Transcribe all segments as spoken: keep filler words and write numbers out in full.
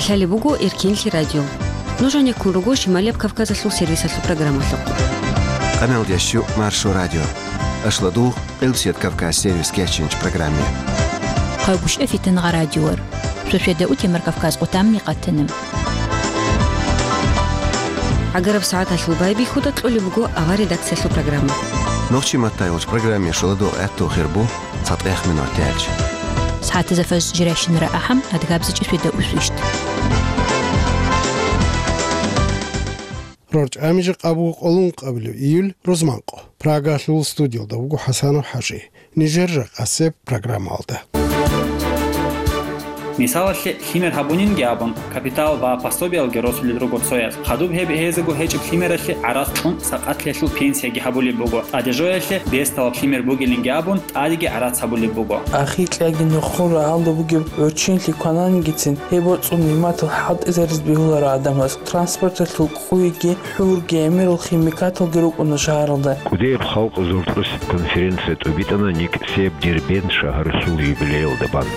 Лъалеб буго Эркинлъи радио. Нуж гьанеккун руго Шималияб Кавказалъул сервисалъул программалъухъ. Къамел ящу Маршо радио. Ашладу Къилсият Кавказ сервис кечинч программе. Къагуш эфитан гъа радиор. Шошеда утемар Кавказ къутамни къатанам. Агараб сагӀаталъул байбихьуда кьолеб буго авар редакциялъул программа. Нохчи маттайолч программе шуладу гӀатту хирбу цатӀех минут дялч. СагӀатазафаз жирайщинара ахӀам адгабзичӀи шведа усвищт. РорчӀами жакъа буго къолун къабилев июль рузманкъо. Прагалъул студиялда вуго ХӀасанов ХӀажи. Нижер жакъасеб программалда. Мисалалъе, лъимер гьабунинги абун, капитал ва пособиялги росулел руго цояз. Хадуб гьеб гьезего гьечӀеб лъимералъе гӀарац кьун сакъатлъиялъул пенсияги гьабулеб буго. ТӀаде жоялъе бесталаб лъимер бугилинги абун, тӀадеги гӀарац гьабулеб буго. Ахикьаги нухун рагьалда бугеб гӀурччинлъи квананигицин, гьеб боцӀун нигӀматал хӀалтӀизаризе бегьуларо гӀадамаз. Транспорталъул къуйги, хӀурги, гӀемерал химикаталги рукӀуна шагьаралда. КӀудияб халкъ зуртӀрус конференция тӀубитӀана никсияб Дербент шагьаралъул юбилеялда бан.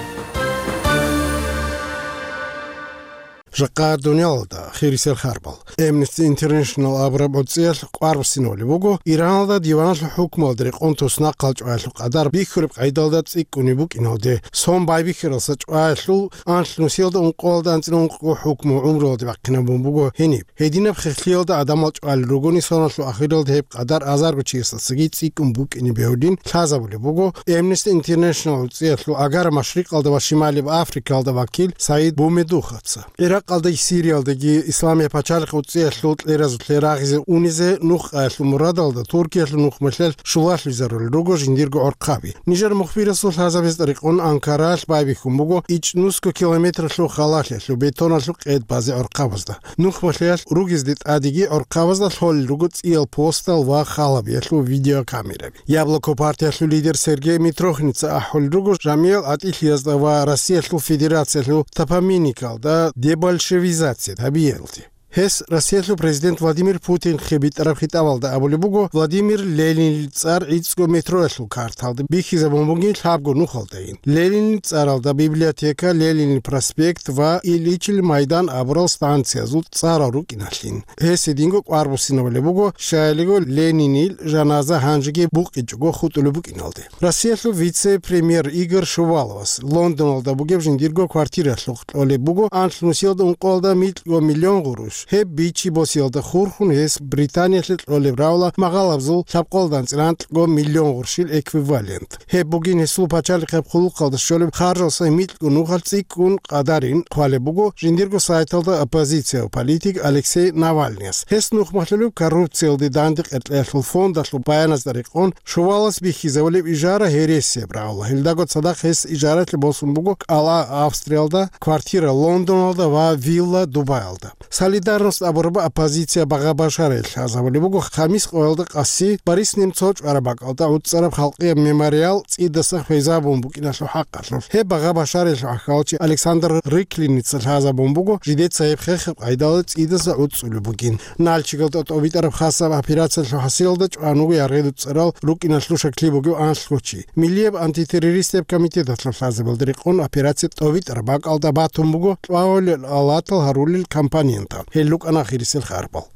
Жакъа дуниялалда хирисел харбал. Amnesty International абураб гӀуцӀиялъ къварбусинавли буго, Ираналда диваналъул хӀукмуялда рекъон туснахъал чӀваялъул къадар бихьураб къайдалда цӀикӀкӀунеб букӀиналде, сон байбихьаралса чӀваялъул анлънусиялда ункъоялда анцӀила ункъго хӀукму гӀумруялде бахъинабун буго гьениб. Гьединаб хехлъиялда гӀадамал чӀвалел ругони, соналъул ахиралда гьеб къадар азарго чиясдасаги цӀикӀкӀун букӀине бегьулин лъазабулеб буго Amnesty International гӀуцӀиялъул Агара Машрикъалда ва Шималияб Африкаялда вакил Саид Бумедуховца. Иракъалдаги Сириялдаги Исламияб пачалихъ гӀуцӀиялъул кьеразулъе рагъизе унизе нух къаялъул мурадалда Туркиялъул нухмалъиялъ щулалъуйзарулел руго жиндирго гӀорхъаби. Нижер мухбирасул лъазабиз тӀарикъун Анкаралъ байбихьун буго ичӀнусго километралъул халалъиялъул бетоналъул къед базе гӀорхъабазда. Нухмалъиялъ ругезде тӀадеги гӀорхъабазда лъолел руго цӀиял постал ва халабиялъул видеокамераби. Яблоко партиялъул лидер Сергей Митрохинца ахӀулел руго жамиял гӀатӀилъиязда ва Россиялъул Федерациялъул топонимикалда дебольшевизация гьабиялде. Гьес Россиялъул президент Владимир Путинхъе битӀараб хитӀабалда абулеб буго, Владимир Ленинил цӀар гӀицӀго метроялъул карталда бихьизабун бугин лъабго нухалдайин. Ленинил цӀаралда библиотека, Ленинил проспект ва Ильичил майдан абурал станциязул цӀарал рукӀиналъин. Гьес гьединго къварбусинабулеб буго, щайилиго Ленинил жаназа гьанжеги букъичӀого хутӀулеб букӀиналде. Россиялъул вице-премьер Игорь Шуваловас Лондоналда бугеб жиндирго квартиралъухъ кьолеб буго анлънусиялда ункъоялда микьго миллион гъурущ. Гьеб бичи босиялда хурхун гьес Британиялъе кьолеб равла магъалабзул лъабкъоялда анцӀила анкьго миллион гъурщил эквивалент. Гьеб бугин гьесул пачалихъеб хъулухъалда щолеб харжалса микьго нухалъ цӀикӀкӀун къадарин хъвалеб буго жиндирго сайталда оппозициялъул политик Алексей Навальныяс. Гьес нухмалъулеб коррупциялде данде къеркьеялъул фондалъул баяназда рекъон, Шувалас бихьизабулеб ижара гьересияб равла. Гьелдаго цадахъ гьес ижаралъе босун буго кӀала Австриялда, квартира Лондоналда ва вилла Дубаялда. Солидарность абураб оппозиция багъа-башараялъ лъазабулеб буго, хамис къоялда къаси Борис Немцов чӀвараб бакӀалда гӀуцӀараб халкъияб мемориал цӀидаса хвезабун букӀиналъул хӀакъалъулъ. Гьеб багъа-башараялъул гӀахьалчи Александр Рыклиница лъазабун буго, жидеца гьеб хехаб къайдалда цӀидаса гӀуцӀулеб бугин. Нальчигалда тӀобитӀараб хасаб операциялъул хӀасилалда чӀван вуго яргъи дуцӀарал рукӀиналъул шаклъи бугев анлъго чи. Миллияб антитеррористияб комитеталъул лъазабалда рекъон операция тӀобитӀараб бакӀалда батун буго кьвагьулел алатал гьарулел компонентал. Гьел рукӀана ахирисел харбал.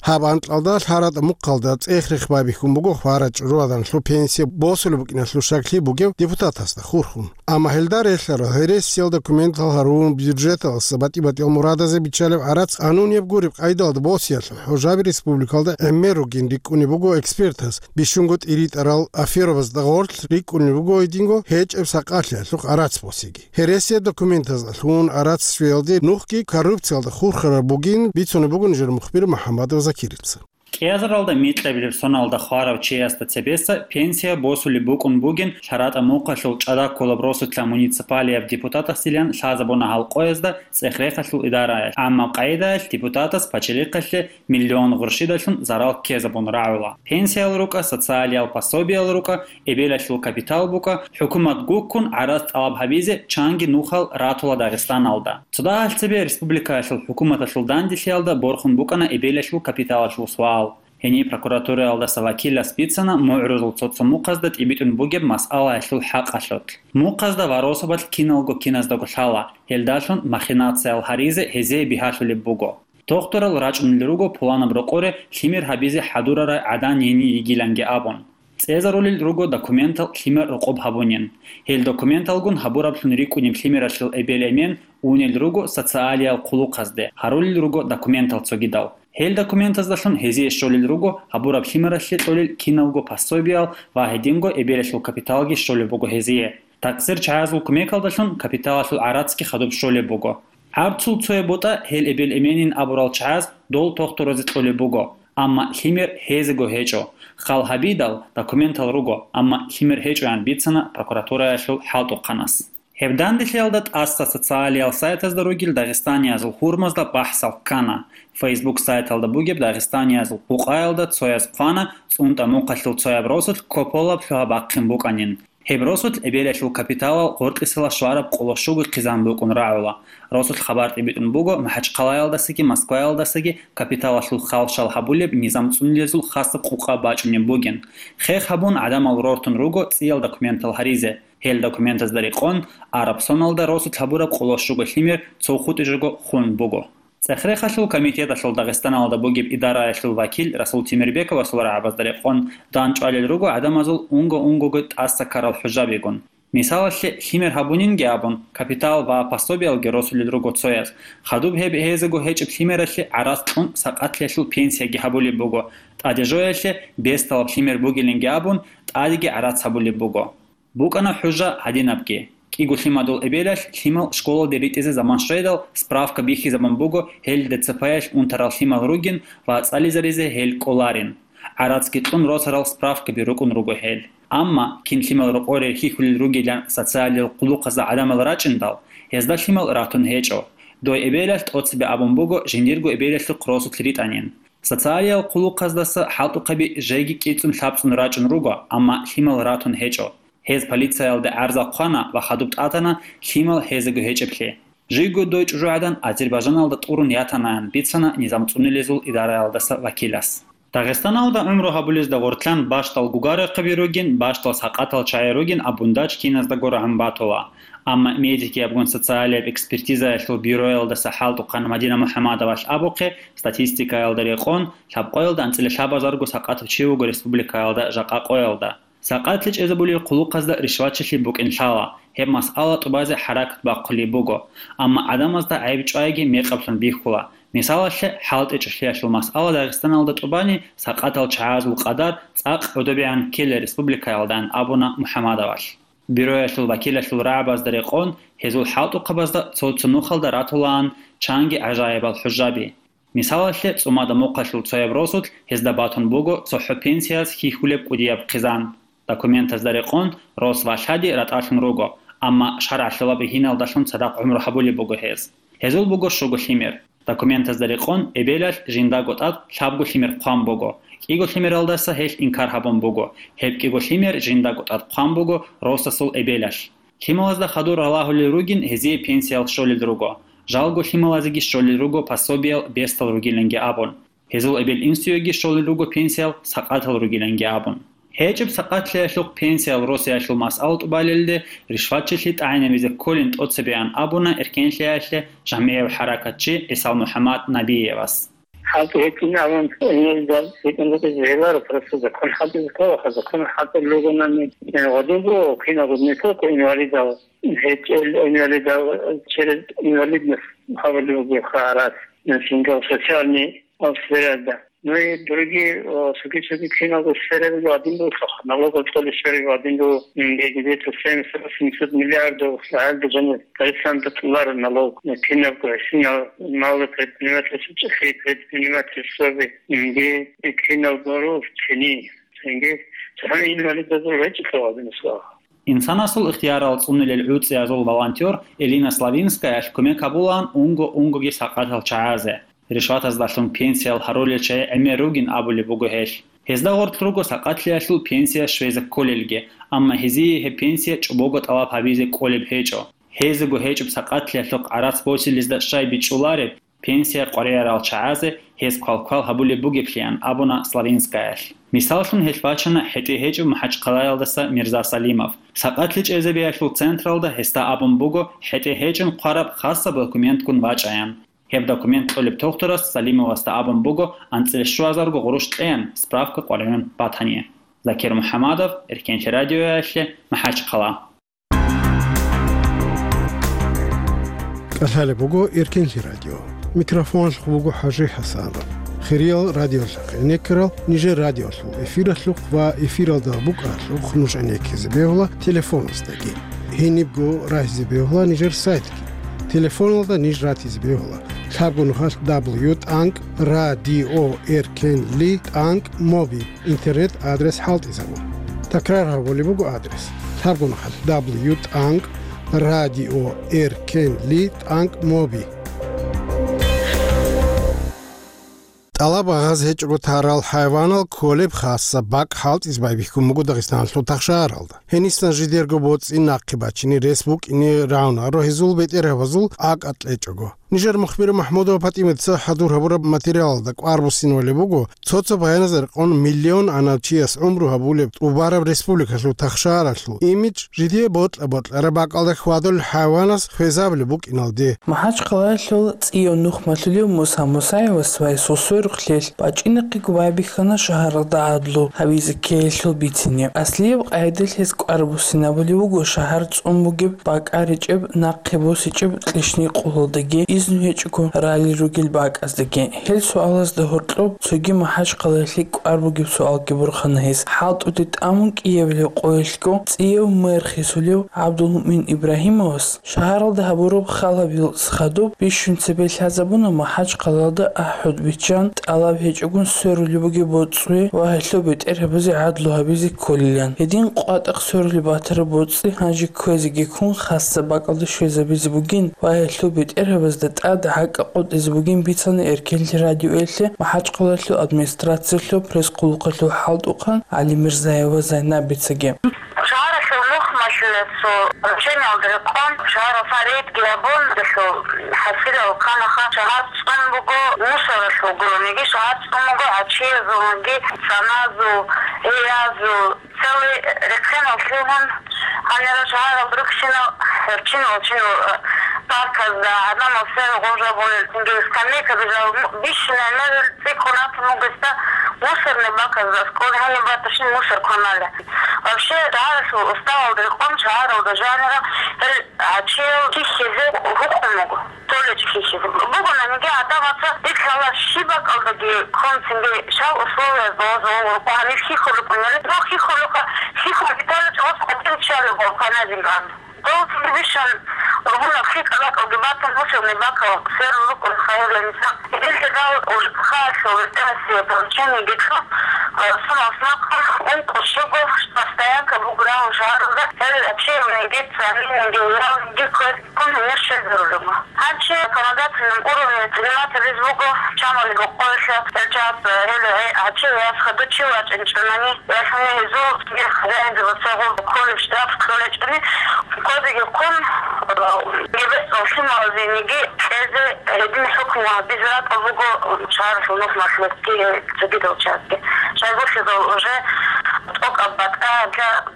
Гьаб анкьалда лъаратӀа мухъалда цӀех-рех байбихьун буго хварачӀ руаданлъу пенсия босулеб букӀиналъул шаклъи бугев депутатасда хурхун. Амма гьелда релълъарал гьересиял документал гьарун бюджеталъа батӀи-батӀиял мурадазе биччалеб гӀарац къанунияб гуреб къайдалда босиялъул хӀужаби республикалда гӀемер ругин рикӀкӀунеб буго экспертас, бищунго тӀиритӀарал аферобазда гъорлъ рикӀкӀунеб буго гьединго гьечӀеб сакъалъиялъухъ гӀарац босиги. Гьересияб документазда лъугьун гӀарац щвеялде нухги коррупциялда хурхараб бугин бицунеб буго нижер мухбир МухӀаммадов Закирица. КӀиазаралда микьабилеб соналда хварав чиясда цебеса пенсия босулеб букӀун бугин лъаратӀа мухъалъул ЧӀараккулаб росулъа муниципалияб депутатасдилан лъазабуна гьал къоязда цӀех-рехалъул идараялъ. Амма къайдаялъ депутатас пачалихъалъе миллион гъурщидалъун зарал ккезабун рагӀула. Пенсиял рукӀа, социалиял пособиял рукӀа, эбелалъул капитал букӀа, хӀукумат гуккун гӀарац тӀалаб гьабизе чанги нухал ратула Дагъистаналда. Цо дагьал цебе республикаялъул хӀукуматалъул данделъиялда борхун букӀана эбелалъул капиталалъул суал. Гьениб прокуратураялдаса вакилас бицана мугӀрузул цо-цо мухъазда тӀибитӀун бугеб масъалаялъул хӀакъалъулъ. Мухъазда ва росабалъ киналго киназдаго лъала, гьелдалъун махинациял гьаризе гьезие бигьалъулеб буго. Тохтурал рачӀунел руго пуланаб рокъоре лъимер гьабизе хӀадурарай гӀадан гьенир йигиланги абун. ЦӀезарулел руго документал лъимер рокъоб гьабунин. Гьел документалгун гьабураблъун рикӀкӀунеб лъимералъул эбел-эмен унел руго социалиял хъулухъазде, гьарулел руго документал цогидал. Гьел документаздалъун гьезие щолел руго гьабураб лъимералъе кьолел киналго пособиял ва гьединго эбелалъул капиталги щолеб буго гьезие. Такъсир чагӀазул кумекалдалъун капиталалъул гӀарацги хадуб щолеб буго. ГӀарцул цояб бутӀа гьел эбел-эменин абурал чагӀаз дол тохтуразе кьолеб буго, амма лъимер гьезего гьечӀо. Хал гьабидал, документал руго, амма лъимер гьечӀоян бицана прокуратураялъул хӀалтӀухъанас. Гьеб данделъиялда тӀаса социалиял сайтазда ругел дагъистаниязул гьурмазда бахӀсал ккана. Facebook сайталда бугеб дагъистаниязул къукъаялда цояз хъвана цӀунтӀа мухъалъул цояб росулъ Кополаб лъугьа-бахъин букӀанин. Гьеб росулъ эбелалъул капиталал гъоркьисела щвараб къоло щуго хъизан букӀун рагӀула. Росулъ хабар тӀибитӀун буго МахӀачхъалаялдасаги Москваялдасаги капиталалъул хал-шал гьабулеб низам цӀунулезул хасаб къукъа бачӀунеб бугин. Хех гьабун гӀадамал рортун руго цӀиял документал гьаризе. Гьел документазда рекъон, араб соналда росулъ гьабураб къоло щуго лъимер цо хутӀи жого хун буго. ЦӀехрехалъул комитеталъул Дагъистаналда бугеб идараялъул вакил Расул Темирбековасул рагӀабазда рекъон дандчӀвалел руго гӀадамазул унго-унгого тӀаса ккарал хӀужабигун. Мисалалъе, лъимер гьабунинги абун, капитал ва пособиялги росулел руго цояз. Хадуб гьеб гьезего гьечӀеб лъимералъе гӀарац кьун сакъатлъиялъул пенсияги гьабулеб буго, тӀаде жоялъе бесдалаб лъимер бугилинги абун, тӀадеги гӀарац гьабулеб буго. БукӀана хӀужа гьадинабги. КӀиго лъимадул эбелалъ лъимал школалде ритӀизе заман щведал, справка бихьизабун буго, гьел ДЦП-ялъ унтарал лъимал ругин ва цӀализаризе гьел кӀоларин. ГӀарацги кьун росарал справкаби рукӀун руго гьел. Амма кин лъимал рокъоре хьихьулел ругилан социалиял хъулухъазда гӀадамал рачӀиндал, гьезда лъимал ратун гьечӀо. Дой эбелалъ тӀоцебе абун буго жиндирго эбелалъухъ росулъ ритӀанин. Социалиял хъулухъаздаса хӀалтӀухъаби жеги кӀицӀун-лъабцӀун рачӀун руго, амма лъимал ратун гьечӀо. Гьез полициялде гӀарза хъвана ва хадуб тӀатана лъимал гьезего гьечӀеблъи. Жиго дой чӀужугӀадан Азербайжаналда тӀурун ятанаян бицана низам цӀунулезул идараялдаса вакилас. Дагъистаналда гӀумру гьабулезда гъоркьан бащдал гугарахъаби ругин, бащдал сакъатал чагӀи ругин абун дачӀ киназдаго рагӀун батула. Амма медикиябгун социалияб экспертизаялъул бюроялдаса хӀалтӀухъан Мадина МухӀамадовалъ абухъе, статистикаялда рекъон, лъабкъоялда анцӀила лъабазарго сакъатав чи вуго республикаялда жакъа къоялда. Сакъатлъи чӀезабулел хъулухъазда ришватчилъи букӀин лъала, гьеб масъала тӀубазе хӀаракат бахъулеб буго, амма гӀадамазда гӀайиб чӀвайги мекъаблъун бихьула. Мисалалъе, хӀалтӀичӀелъиялъул масъала Дагъистаналда тӀубани сакъатал чагӀазул къадар цӀакъ гӀодобегӀан ккела республикаялдаан абуна МухӀамадовалъ. Бюроялъул вакилалъул рагӀабазда рекъон, гьезул хӀалтӀухъабазда цо-цо нухалда ратулаан чанги гӀажаибал хӀужаби. Мисалалъе, ЦӀумада мухъалъул цояб росулъ гьезда батун буго цохӀо пенсияз хьихьулеб кӀудияб хъизан. Документазда рекъон, рос ва лъади ратӀалъун руго, амма шаргӀалъулаб гьиналдалъун цадахъ гӀумру гьабулеб буго гьез. Гьезул буго щуго лъимер. Документазда рекъон, эбелалъ жиндаго тӀад лъабго лъимер хъван буго, кӀиго лъимералдаса гьелъ инкар гьабун буго, гьеб кӀиго лъимер жиндаго тӀад хъван буго росасул эбелалъ. Лъималазда хадур ралагьулел ругин гьезие пенсиял щолел руго. Жалго лъималазеги щолел руго пособиял бесдал ругиланги абун. Гьезул эбел-инсуеги щолел руго пенсиял сакъатал ругиланги абун. ГьечӀеб сакъатлъиялъухъ пенсиял росиялъул масъала тӀубалелде ришватчилъи тӀагӀинабизе кколин тӀоцебеан абуна эркенлъиялъе жамгӀияв хӀаракатчи ГӀисал МухӀаммад Набиевас. ХӀалтӀи гьечӀин абун, инвалидал гьечӀин букӀизе гьеларо, просто закон хӀалтӀизе ккола, закон хӀалтӀулел ругонани, э, гъадин буго, киналго не только инвалидал, гьечӀел инвалидал, через инвалидность гьабулеб буго гьарас, э, жиндал социальный сферада. Ну и другие, э, цоги-цоги киналго сферабиги гьадин буго, налогал цӀолеб сферабиги гьадин буго, м, где-то семьсот-восемьсот миллиардов гьалда жаниб Дагъистанда кьоларо налог, э, кинабго, синал малый предпринимательство, чӀехи предпринимательствоби, м, киналго рус, чини, цинги, цохӀо инвалидазул гьечӀо гьадинасул. Инсанасул ихтиярал цӀунулел гӀуцӀиязул волонтер Элина Славинскаялъ кумек гьабулаан унго-унгоги сакъатал чагӀазе. Ришватаздалъун пенсиял гьарулел чагӀи гӀемер ругин абулеб буго гьелъ. Гьезда гъорлъ руго сакъатлъиялъул пенсия щвезе кколелги, амма гьезие гьеб пенсия чӀобого тӀалаб гьабизе кӀолеб гьечӀо. Гьезего гьечӀеб сакъатлъиялъухъ гӀарац босилезда щай бичӀчӀулареб, Пенсия къваригӀарал чагӀазе гьез квалквал гьабулеб бугеблъиан абуна Славинскаялъ. Мисаллъун гьелъ бачана хӀетӀе гьечӀев МахӀачхъалаялдаса Мирза Салимов. Сакъатлъи чӀезабиялъул централда гьесда абун буго хӀетӀе гьечӀун хъвараб хасаб документгун вачӀаян. Гьеб документ кьолеб тухтурас Салимовасда абун буго анцӀила щуазарго гъурущ кьеян, справка къваригӀун батани. Закир МухӀамадов, Эркенлъи радиоялъе, МахӀачхъала. КӀалъалеб буго Эркенлъи радио. Микрофоналъухъ буго ХӀажи ХӀасанов. Хириял радиолъахъ гӀенеккарал нижер радиолъул эфиралъухъ ва эфиралда букӀаралъухъ нуж гӀенеккизе бегьула телефоназдаги. Гьенибго рагьизе бегьула нижер сайтги. Телефоналда ниж ратизе бегьула лъабго нухалъ дабл ю тӀанкӀ радио эркенли тӀанкӀ моби интернет адрес хӀалтӀизабун. Такрар гьабулеб буго адрес: лъабго нухалъ дабл ю тӀанкӀ радио эркенли тӀанкӀ моби. ТӀалаб гьабизе гьечӀого тарал хӀайванал кколеб хасаб бакӀ хӀалтӀизе байбихьун буго Дагъистаналъул тахшагьаралда. Гьенисан жидерго боцӀи нахъе бачине рес букӀине равнарго гьезул бетӀергьабазул акӀ кьечӀого. Нижер мухбир МахӀмудова ПатӀимаца хӀадур гьабураб материалалда кӀвар буссинабулеб буго, цо-цо баяназда рекъон миллион анав чияс гӀумру гьабулеб тӀубараб республикалъул тахшагьаралъул имидж жидее бокьа-бокьараб бакӀалда хьвадулел хӀайванас хвезабулеб букӀиналде. МахӀачхъалаялъул цӀияв нухмалъулев Муса Мусаевас ва гьесул сверухълъиялъ бачӀинахъего байбихьана шагьаралда гӀадлу гьабизе ккеялъул бицине. Аслияб къагӀидалъ гьес кӀвар буссинабулеб буго шагьар цӀун бугеб бакӀ гьечӀеб, нахъе босичӀеб кьишни къулалдаги, изну гьечӀого рали ругел бакӀаздаги. Гьел суалазда гьоркьоб цоги МахӀачхъалаялъе кӀвар бугеб суалги борхана гьес. ХӀалтӀуде тӀамун кӀиабилеб къоялъго цӀияв мэр хисулев ГӀабдулмуъмин Ибрагьимовас шагьаралда гьабураб халабилас хадуб бищун цебе лъазабуна МахӀачхъалаялда ахӀулеб биччан тӀалаб гьечӀогун сверулеб бугеб боцӀи ва гьелъул бетӀергьабазе гӀадлу гьабизе кколилан. Гьедин къватӀахъ сверулеб батараб боцӀи гьанже кквезеги ккун хасаб бакӀалде щвезабизе бугин ва гьелъул бетӀергьабазда тӀад гӀакӀа къотӀизе бугин бицана Эркенлъи радиоялъе МахӀачхъалаялъул администрациялъул пресс-къулухъалъул хӀалтӀухъан ГӀалимирзаева Зайнабицаги. Шагьаралъул нухмалъулесул руччаниялда рекъон шагьаралъ рейдги гьабун, гьелъул хӀасилал кканаха шагьар цӀун буго мусоралъул гурониги, шагьар цӀун буго гӀачиязулги, цаназул, гьеязул, целый рехъинал лъугьун, гьанира шагьарал рухьинал гьеб чинал-чинал парказда гӀадамал сверун гъожабулел, цинги скамейкаби жал бищунай мегӀер цӀикӀкӀун ратун бугесда, мусорный баказ аскӀор гьаниб баташин мусор кваналел. Вообще, шагьаралъул уставалда рекъон шагьаралда жанира гьел гӀачиял хьихьизе гьукъун буго. Толечи хьихьизе. Бугонаниги гӀадамаца ил лъала щиб бакӀалдаги ккун цинги щал условиязда ваза вуго гьанир хьихьулеб букӀунареб. Дов хьихьулухъа, хьихьун бетӀараб чӀаваз къватӀир чӀалеб буго кваназин гӀан. Дов цинги бищун ругьунаб хьикӀа бакӀалги батун, мусорный бакал сверун рукӀун хайрла мисал. Гьелъидал уж хаалъул ветерасие поручениеги кьун, сунал смахъун ункъо щуго штрафстоянка буграл шагьаралда, гьел чейниги, цаминиги, ялниги квез ккун гьенир щвезарулего. Гьанже законодательном уровне принимать гьабиз буго, чамалиго къоялъ гьел чияс, гьел гӀачияс хадув чи вачӀинчӀунани, ясуни гьезул хозяинзабаца гъоб кколеб штраф кьолечӀони, кодеги ккун, гьеб лъималазеги кьезе гьедин хӀукму гьабизе ракӀалда буго шагьаралъул нухмалъулги цогидал чиясги. Шайгурлъидал уже тӀокӀаб батӀа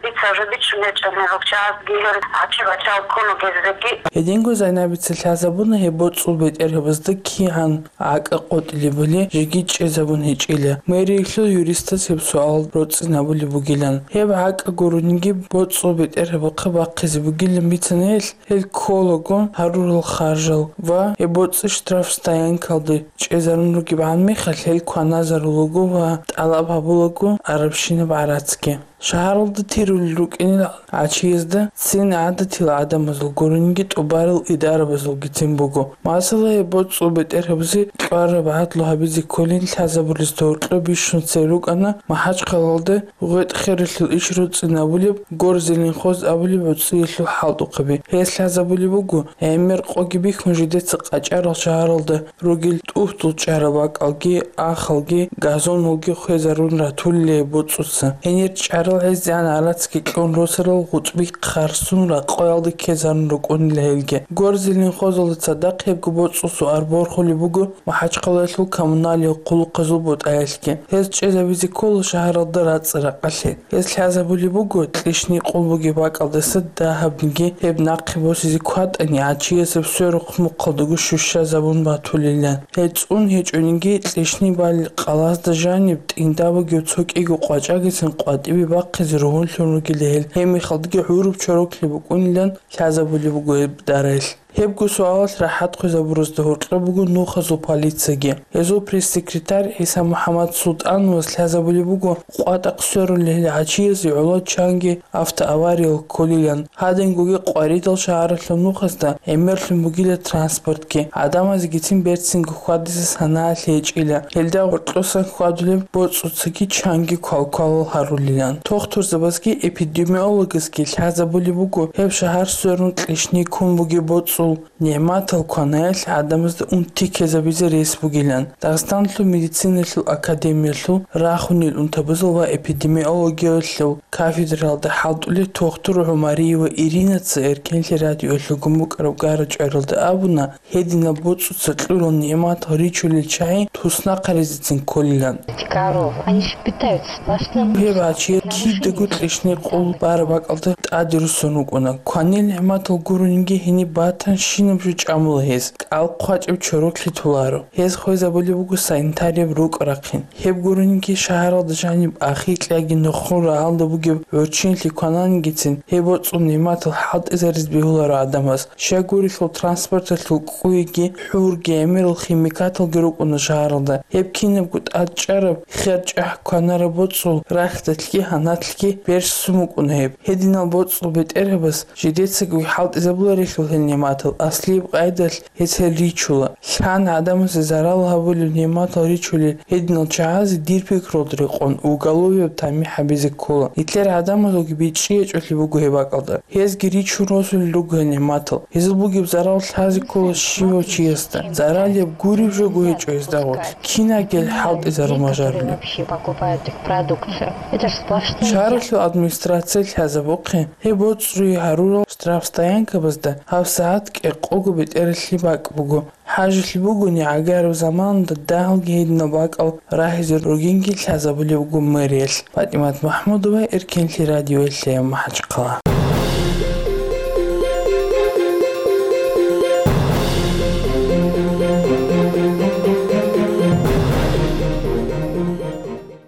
дица уже бичун гьечӀони гьел чиясги, гьел гӀачи-бачал ккун вугезеги. Гьединго Зайнабица лъазабуна гьеб боцӀул бетӀергьабазда кигӀан гӀакӀа къотӀилебали жеги чӀезабун гьечӀила. Мэриялъул юристас гьеб суал роцӀцӀинабулеб бугилан. Гьеб гӀакӀа гурониги боцӀул бетӀергьабахъе бахъизе бугилан бицана гьелъ, гьел кколаго гьарурал харжал ва гьеб боцӀи штрафстоянкалде чӀезарун ругебгӀан мехалъ гьел кваназарулаго ва тӀалаб гьабулаго арабщинаб гӀарацги. Шагьаралда тирулел рукӀинел гӀачиязда цин гӀадатил гӀадамазул гурониги тӀубарал идарабазулгицин буго. Масала, гьеб боцӀул бетӀергьабазе кьвараб гӀадлу гьабизе кколин лъазабулезда гьоркьоб бищун цебе рукӀана МахӀачхъалаялда гъветӀ-хералъул иш роцӀцӀинабулеб Горзеленхоз абулеб гӀуцӀиялъул хӀалтӀухъаби. Гьес лъазабулеб буго, гӀемер къоги бихьун жидеца къачӀарал шагьаралда ругел тӀухьдул чӀарал бакӀалги, ахалги, газоналги хвезарун ратулел боцӀуца. Гьенир чӀарал ГьезегӀан гӀарацги кьун росарал гъутӀби хъарсун ракъоялде ккезарун рукӀунила гьелги. Горзилин хозалда цадахъ гьебго боцӀул суар борхулеб буго МахӀачхъалаялъул коммуналияб хъулухъазул бутӀаялъги. Гьез чӀезабизе ккола шагьаралда рацӀцӀа-ракъалъе. Гьез лъазабулеб буго кьишни къулбуги бакӀалдаса дагьабниги гьеб нахъе босизе кватӀани, гӀачиясеб сверухъ мухъалдаго щущазабун батулилан. Гьел цӀун гьечӀониги, кьишни бал къалазда жаниб тӀинда бугев цо кӀиго къвачӀагицин къватӀибе бахъизе ругьунлъун ругила гьел, гьебмехалдаги гӀуруб чороклъи букӀунилан лъазабулеб буго гьеб дараялъ. Гьебго суалалъ рахӀат хъвезабуразда гьоркьоб буго нухазул полицияги. Гьезул пресс-секретарь ГӀиса МухӀаммад Султановас лъазабулеб буго къватӀахъ сверулел гӀачиязе гӀоло чанги автоавариял кколилан. Гьадингоги къваридал шагьаралъул нухазда гӀемерлъун бугила транспортги, гӀадамазегицин берцинго хьвадизе санаялъ гьечӀила, гьелда гъоркьосан хьвадулеб боцӀуцаги чанги квалквалал гьарулилан. Тухтурзабазги эпидемиологазги лъазабулеб буго гьеб шагьар сверун кьишни ккун бугеб боцӀул нигӀматал кванаялъ гӀадамазда унти ккезабизе рес бугилан. Дагъистаналъул медициналъул академиялъул рахунел унтабазул ва эпидемиологиялъул кафедраялда хӀалтӀулев тухтур ГӀумариева Иринаца Эркенлъи радиоялъулгун букӀараб гара-чӀваралда абуна, гьединаб боцӀуца кьурал нигӀматал ричулел чагӀи туснахъаризецин кколилан. Коров. Они же питаются сплошным. Гьеб гӀачиял кидаго кьишни къул бараб бакӀалда тӀаде руссун рукӀуна. Кванил нигӀматал гурониги гьениб батанщинаб жо чӀамула гьез, кӀал хъвачӀеб чороклъи толаро. Гьез хвезабулеб буго санитарияб рукӀ рахъин. Гьеб гурониги шагьаралда жаниб ахикьаги нухун рагӀалда бугеб гӀурччинлъи квананигицин, гьеб боцӀул нигӀматал хӀалтӀизаризе бегьуларо гӀадамаз. Щай гурелъул транспорталъул кӀкӀуйги, хӀурги, гӀемерал химикаталги рукӀуна шагьаралда. Гьеб кинабго тӀадчӀараб, хер-чӀахӀ кванараб боцӀул рахьдалъги гьанатлъги берцун букӀуна гьеб. Гьединал боцӀул бетӀергьабаз жидецаго хӀалтӀизабуларелъул гьел нигӀматал, аслияб къайдалъ гьез гьел ричула. Лъан гӀадамазе зарал гьабулеб нигӀматал ричулел гьединал чагӀазе, дир пикруялда рекъон, уголовияб тамихӀ гьабизе ккола. Нилъер гӀадамазулги бичӀчӀи гьечӀолъи буго гьеб бакӀалда. Гьезги ричун росулел руго гьел нигӀматал. Гьезул бугеб зарал лъазе ккола щивав чиясда. Заралияб гуреб жого гьечӀо гьезда гъорлъ. Кинагел хӀалтӀизарун бажарулеб. Вообще покупают их продукцию. Это ж сплошные. Шагьаралъул администрация лъазабухъе, гьеб боцӀруе гьарурал штрафстоянкабазда гьабсагӀат кӀикъого бетӀералъе бакӀ буго. ХӀажалъи бугони, гӀагараб заманалда дагьалги гьединал бакӀал рагьизе ругинги лъазабулеб буго мэриялъ. ПатӀимат МахӀмудова, Эркенлъи радиоялъе, МахӀачхъала.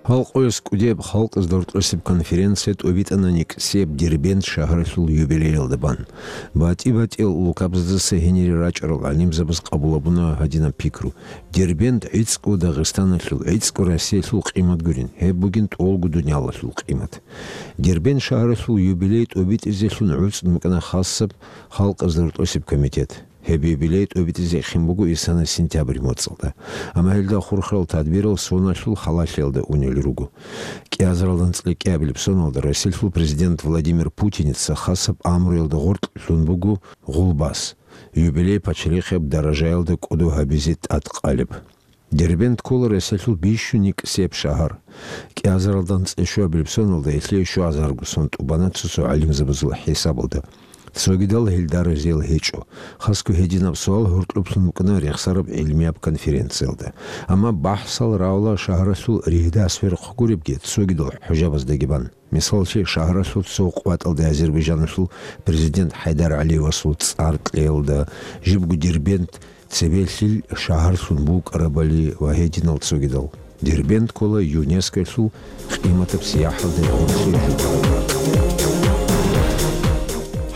Гьалкъояс кӀудияб халкъазда рокьосеб конференция тӀобитӀана никӀсияб Дербент шагьаралъул юбилеялда бан. БатӀи-батӀиял улкабаздаса гьенире рачӀарал гӀалимзабаз къабул гьабуна гьадинаб пикру: Дербент гӀицӀго Дагъистаналъул, гӀицӀго Россиялъул къимат гурин, гьеб бугин тӀолго дуниялалъул къимат. Дербент шагьаралъул юбилей тӀобитӀизелъун гӀуцӀун букӀана хасаб халкъазда рокьосеб комитет. Гьеб юбилей тӀобитӀизе эхин буго исана сентябрь моцӀалда. Амма гьелда хурхарал тадбирал соналъул халалъиялда унел руго. КӀиазаралда анцӀила кӀиабилеб соналда Россиялъул президент Владимир Путиница хасаб амруялда гъоркь лъун буго гъулбас, юбилей пачалихъияб даражаялда кӀодо гьабизе тӀадкъалеб. Дербент ккола Россиялъул бищун никӀсияб шагьар. КӀиазаралда анцӀила щуабилеб соналда гьелъие щуазарго сон тӀубана цо-цо гӀалимзабазул хӀисабалда. Цогидал гьелда разиял гьечӀо. Хасго гьединаб суал гьоркьоблъун букӀана рехсараб гӀилмияб конференциялда. Амма бахӀсал равла шагьаралъул ригьда-сверухъ гуребги, цогидал хӀужабаздаги бан. Мисаллъи, шагьаралъул цо къватӀалда Азербайжаналъул президент ХӀайдар ГӀалиевасул цӀар кьеялда, жибго Дербент цебелъил шагьарлъун букӀарабали ва гьединал цогидал. Дербент ккола ЮНЕСКОялъул къиматаб сияхӀалда гъорлъе.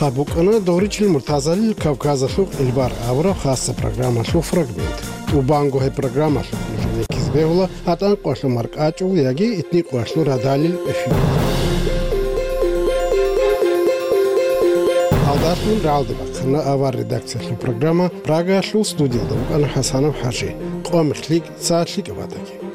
Гьаб букӀана Догъричил Муртазалил Кавказалъул къилбар абураб хасаб программалъул фрагмент. ТӀубанго гьеб программалъухъ нужеда ккезе бегьула гьатӀан къоялъул маркӀачӀул яги этни къоялъул радалил эфир. Гьалдалъун рагӀалде бахъана авар редакциялъул программа. Прагаялъул студиялда вукӀана ХӀасанов ХӀажи. Къо мехлъи, цалъи кӀабатаги.